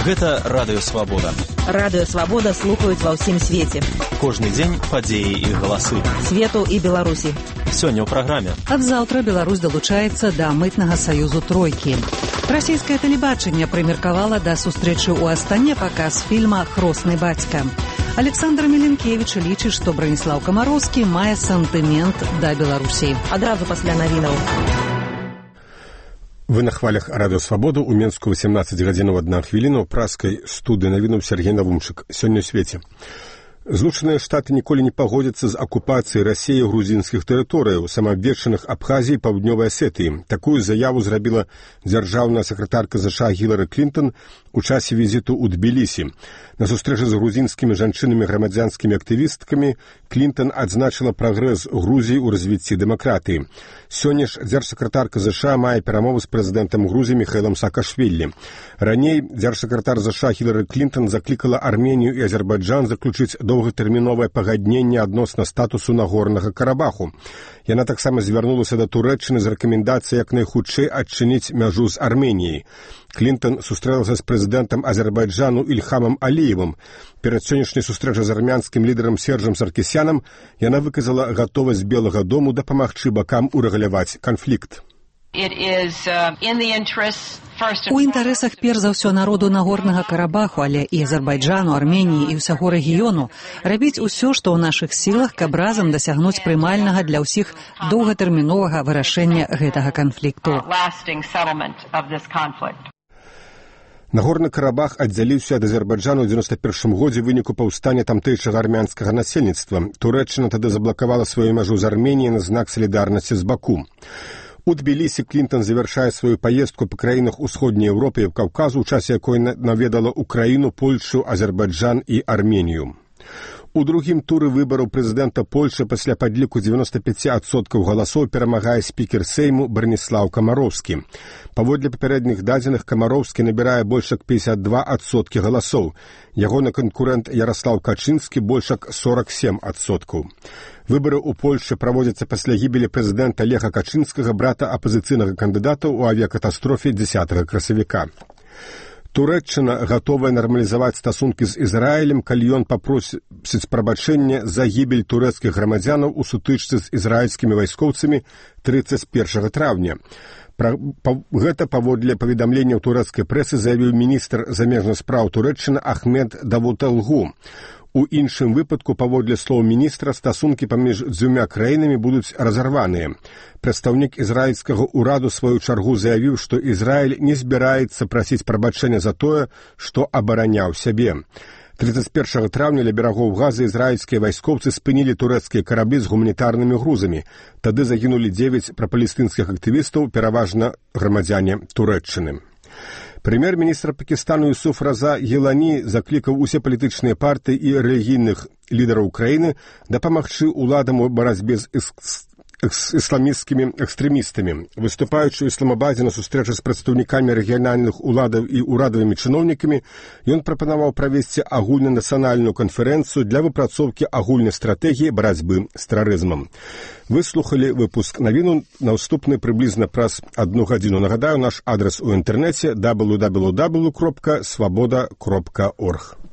Гэта Радыё Свабода. Радыё Свабода слухаюць ва ўсім свеце. Кожны дзень падзеі і галасы. Свету і Беларусі. Сёння ў праграме. Ад заўтра Беларусь далучаецца да мытнага саюзу тройкі. Расійскае тэлебачанне прымеркавала да сустрэчы ў Астане паказ фільма «Хросны бацька». Александр Меленкевич лічыць, што Браніслаў Камароўскі мае сантымент да Беларусі. Адразу пасля навінаў. Вы на хвалях Радыё Свабоду ў Менску 18 гадзінаў 1 хвіліна ў праскай студыі навінуў Сергей Навумчык. Сёння ў свеце. Злучаныя Штаты ніколі не пагодзяцца з акупацыяй Расіі грузінскіх тэрыторыяў, самаабвешчаных Абхазіі і Паўднёвай Асетыі. Такую заяву зрабіла дзяржаўная сакратарка ЗША Гілары Клінтон у часе візіту ў Тбілісі. На сустрэчы з грузінскімі жанчынамі грамадзянскімі актывісткамі Клінтон адзначыла прагрэс Грузіі ў развіцці дэмакратыі. Сёння ж дзяржсакратарка ЗША мае перамовы з прэзідэнтам Грузіі Міхаілам Саакашвілі. Раней дзяржсакратар ЗША Гілары Клінтон заклікала Арменію і Азербайджан заключыць доўгатэрміновае пагадненне адносна статусу Нагорнага Карабаху. Яна таксама звярнулася да Турэччыны з рэкамендацыяй як найхутчэй адчыніць мяжу з Арменіяй. Клінтон сустрэлася з прэзідэнтам Азербайджану Ільхамам Аліевым. Перад сённяшняй сустрэчай з армянскім лідарам Сержам Саркісянам яна выказала гатовасць Белага дому дапамагчы бакам урэгуляваць канфлікт. У інтарэсах перш за ўсё народу Нагорнага Карабаху, але і Азербайджану, Арменіі і ўсяго рэгіёну рабіць усё, што ў нашых сілах, каб разам дасягнуць прымальнага для ўсіх доўгатэрміновага вырашэння гэтага канфлікту. Нагорны Карабах аддзяліўся ад Азербайджану ў 91 годзе ў выніку паўстання тамтэйшага армянскага насельніцтва. Турэччына тады заблакавала сваю мяжу з Арменіяй на знак салідарнасці з Баку. У Тбілісі Клінтон завяршае сваю паездку па краінах Усходняй Еўропы і Каўказу, у часе якой наведала Украіну, Польшу, Азербайджан і Арменію. У другім туры выбараў прэзідэнта Польшы пасля падліку 95% галасоў перамагае спікер Сейму Браніслаў Камароўскі. Паводле папярэдніх дадзеных Камароўскі набірае больш як 52% галасоў. Ягоны канкурэнт Яраслаў Качынскі больш як 47%. Выбары ў Польшы праводзяцца пасля гібелі прэзідэнта Леха Качынскага, брата апазіцыйнага кандыдата ў авіякатастрофе 10 красавіка. Турэччына гатовая нармалізаваць стасункі з Ізраілем, калі ён папросіць прабачэння за гібель турэцкіх грамадзянаў у сутычцы з ізраільскімі вайскоўцамі 31 траўня. Гэта паводле паведамленняў турэцкай прэсы заявіў міністр замежных спраў Турэччыны Ахмед Давуталгу. У іншым выпадку, паводле слоў міністра, стасункі паміж дзвюма краінамі будуць разарваныя. Прадстаўнік ізраільскага ўраду сваю чаргу заявіў, што Ізраіль не збіраецца прасіць прабачэння за тое, што абараняў сябе. 31 траўня ля берагоў Газы ізраільскія вайскоўцы спынілі турэцкія караблі з гуманітарнымі грузамі. Тады загінулі 9 прапалестынскіх актывістаў, пераважна грамадзяне Турэччыны. Прэм'ер-міністр Пакістану Юсуф Раза Гілані заклікаў усе палітычныя партыі і рэлігійных лідараў краіны дапамагчы ўладам у барацьбе з ісламісцкімі экстрэмістамі. Выступаючы ў Ісламабадзе на сустрэчы з прадстаўнікамі рэгіянальных уладаў і ўрадавымі чыноўнікамі, ён прапанаваў правесці агульнанацыянальную канферэнцыю для выпрацоўкі агульнай стратэгіі барацьбы з тэрарызмам. Вы слухалі выпуск навіну, наступны прыблізна праз 1 гадзіну. Нагадаю, наш адрес у інтэрнэце www.swaboda.org.